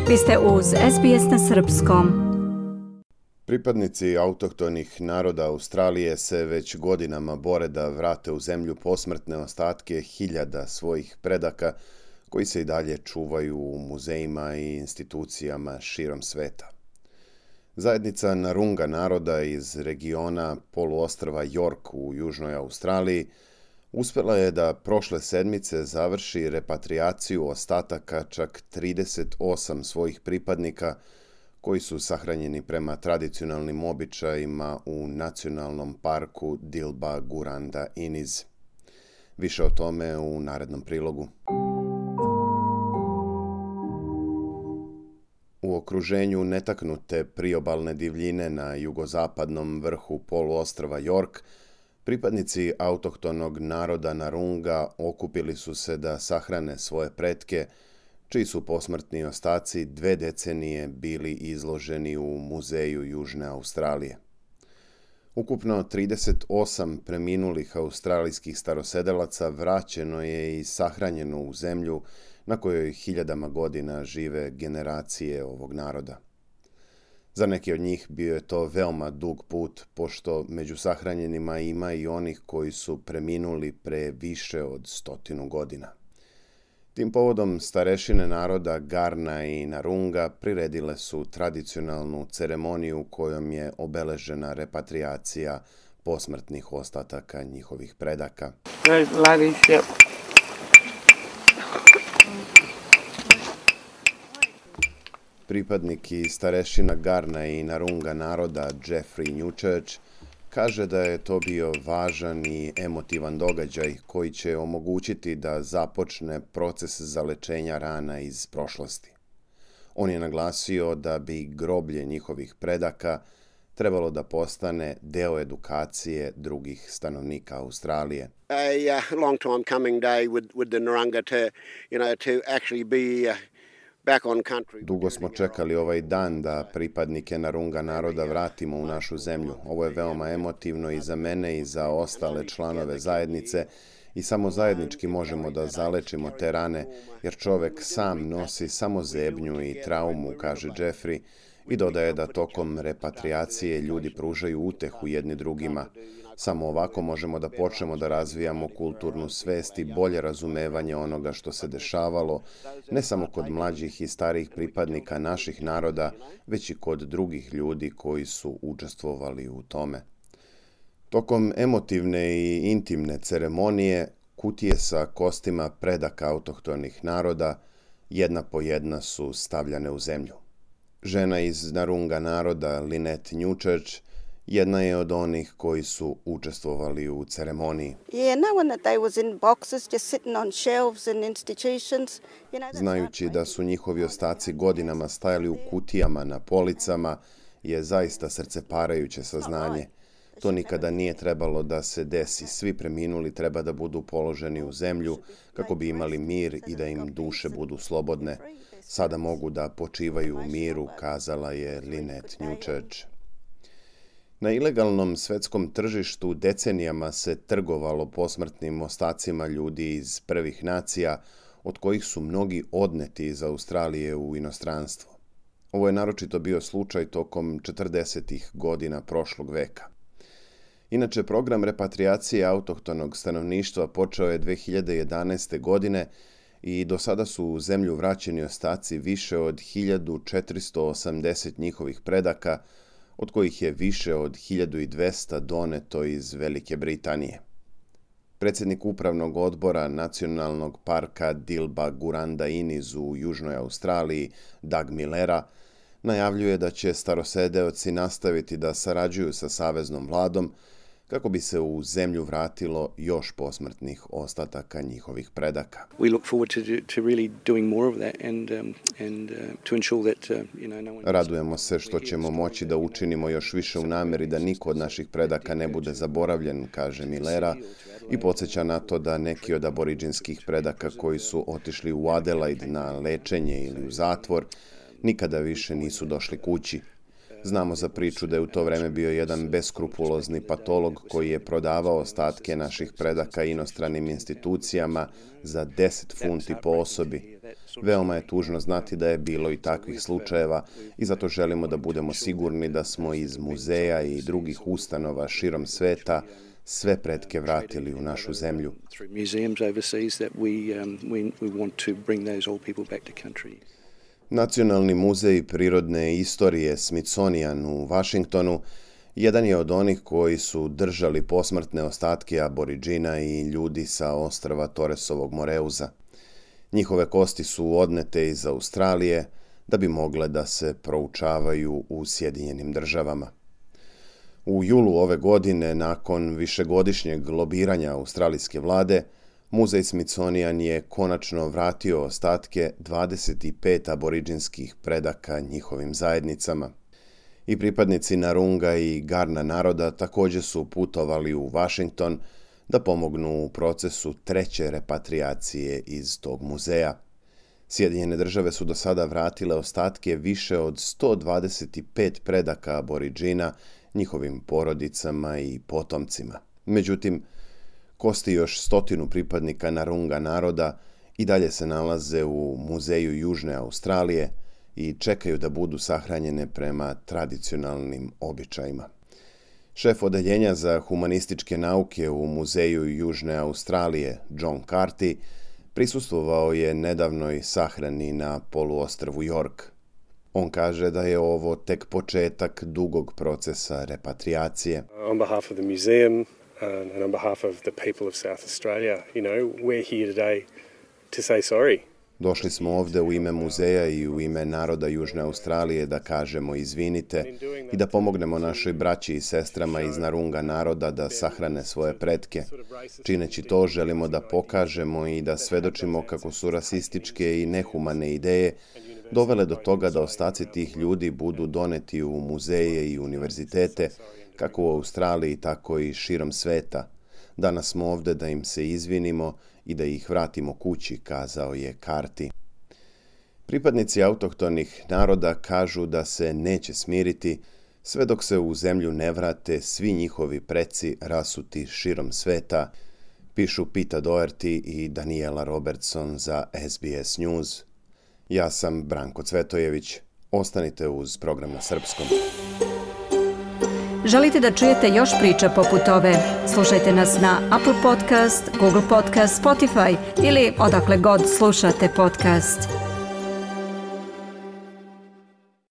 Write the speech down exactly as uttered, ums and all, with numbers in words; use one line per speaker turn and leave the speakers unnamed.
Vi ste uz S B S na srpskom.
Pripadnici autohtonih naroda Australije se već godinama bore da vrate u zemlju posmrtne ostatke hiljada svojih predaka koji se i dalje čuvaju u muzejima i institucijama širom sveta. Zajednica Narunga naroda iz regiona poluostrva York u Južnoj Australiji uspjela je da prošle sedmice završi repatriaciju ostataka čak trideset osam svojih pripadnika koji su sahranjeni prema tradicionalnim običajima u nacionalnom parku Dilba Guranda Iniz. Više o tome u narednom prilogu. U okruženju netaknute priobalne divljine na jugozapadnom vrhu poluostrva York, pripadnici autohtonog naroda Narunga okupili su se da sahrane svoje pretke, čiji su posmrtni ostaci dve decenije bili izloženi u Muzeju Južne Australije. Ukupno trideset osam preminulih australijskih starosedelaca vraćeno je i sahranjeno u zemlju na kojoj hiljadama godina žive generacije ovog naroda. Za neki od njih bio je to veoma dug put, pošto među sahranjenima ima i onih koji su preminuli pre više od stotinu godina. Tim povodom starešine naroda Garna i Narunga priredile su tradicionalnu ceremoniju kojom je obeležena repatriacija posmrtnih ostataka njihovih predaka. Pripadnik i starešina Garna i Narunga naroda Jeffrey Newchurch kaže da je to bio važan i emotivan događaj koji će omogućiti da započne proces zalečenja rana iz prošlosti. On je naglasio da bi groblje njihovih predaka trebalo da postane deo edukacije drugih stanovnika Australije.
A uh, long time coming day with with the Narunga to, you know, to actually be uh...
Dugo smo čekali ovaj dan da pripadnike Narunga naroda vratimo u našu zemlju. Ovo je veoma emotivno i za mene i za ostale članove zajednice i samo zajednički možemo da zalečimo te rane, jer čovek sam nosi samo zebnju i traumu, kaže Jeffrey, i dodaje da tokom repatriacije ljudi pružaju utehu jedni drugima. Samo ovako možemo da počnemo da razvijamo kulturnu svest i bolje razumevanje onoga što se dešavalo, ne samo kod mlađih i starijih pripadnika naših naroda, već i kod drugih ljudi koji su učestvovali u tome. Tokom emotivne i intimne ceremonije, kutije sa kostima predaka autohtonih naroda jedna po jedna su stavljane u zemlju. Žena iz Narunga naroda, Lynette Newchurch, jedna je od onih koji su učestvovali u ceremoniji. Znajući da su njihovi ostaci godinama stajali u kutijama na policama je zaista srceparajuće saznanje. To nikada nije trebalo da se desi. Svi preminuli treba da budu položeni u zemlju kako bi imali mir i da im duše budu slobodne. Sada mogu da počivaju u miru, kazala je Lynette Newchurch. Na ilegalnom svetskom tržištu decenijama se trgovalo posmrtnim ostacima ljudi iz prvih nacija, od kojih su mnogi odneti iz Australije u inostranstvo. Ovo je naročito bio slučaj tokom četrdesetih godina prošlog veka. Inače, program repatriacije autohtonog stanovništva počeo je dve hiljade jedanaeste. godine i do sada su u zemlju vraćeni ostaci više od hiljadu četiristo osamdeset njihovih predaka, od kojih je više od hiljadu dvesta doneto iz Velike Britanije. Predsjednik upravnog odbora nacionalnog parka Dilba Guranda Iniz u Južnoj Australiji, Doug Millera, najavljuje da će starosedeoci nastaviti da sarađuju sa saveznom vladom kako bi se u zemlju vratilo još posmrtnih ostataka njihovih predaka. Radujemo se što ćemo moći da učinimo još više u nameri da niko od naših predaka ne bude zaboravljen, kaže Millera, i podsjeća na to da neki od aboriđinskih predaka koji su otišli u Adelaide na lečenje ili u zatvor nikada više nisu došli kući. Znamo za priču da je u to vreme bio jedan beskrupulozni patolog koji je prodavao ostatke naših predaka inostranim institucijama za deset funti po osobi. Veoma je tužno znati da je bilo i takvih slučajeva i zato želimo da budemo sigurni da smo iz muzeja i drugih ustanova širom sveta sve pretke vratili u našu zemlju. Nacionalni muzej prirodne istorije Smithsonian u Vašingtonu jedan je od onih koji su držali posmrtne ostatke Aboridžina i ljudi sa ostrva Torresovog Moreuza. Njihove kosti su odnete iz Australije da bi mogle da se proučavaju u Sjedinjenim državama. U julu ove godine, nakon višegodišnjeg lobiranja australijske vlade, muzej Smithsonian je konačno vratio ostatke dvadeset pet aboridžinskih predaka njihovim zajednicama. I pripadnici Narunga i Garna naroda također su putovali u Washington da pomognu u procesu treće repatriacije iz tog muzeja. Sjedinjene države su do sada vratile ostatke više od sto dvadeset pet predaka aboridžina njihovim porodicama i potomcima. Međutim, kosti još stotinu pripadnika Narunga naroda i dalje se nalaze u Muzeju Južne Australije i čekaju da budu sahranjene prema tradicionalnim običajima. Šef odeljenja za humanističke nauke u Muzeju Južne Australije, John Carty, prisustvovao je nedavnoj sahrani na poluostrvu York. On kaže da je ovo tek početak dugog procesa repatriacije.
On behalf of the museum and on behalf of the people of South Australia, you know, we're here today to say sorry.
Došli smo ovde u ime muzeja i u ime naroda Južne Australije da kažemo izvinite i da pomognemo našoj braći i sestrama iz Narunga naroda da sahrane svoje pretke. Čineći to, želimo da pokažemo i da svedočimo kako su rasističke i nehumane ideje dovele do toga da ostaci tih ljudi budu doneti u muzeje i univerzitete, kako u Australiji, tako i širom sveta. Danas smo ovde da im se izvinimo i da ih vratimo kući, kazao je Carty. Pripadnici autohtonih naroda kažu da se neće smiriti sve dok se u zemlju ne vrate svi njihovi preci rasuti širom sveta, pišu Pita Doherty i Daniela Robertson za S B S News. Ja sam Branko Cvetojević. Ostanite uz program na srpskom.
Želite da čujete još priča poput ove? Slušajte nas na Apple Podcast, Google Podcast, Spotify ili odakle god slušate podcast.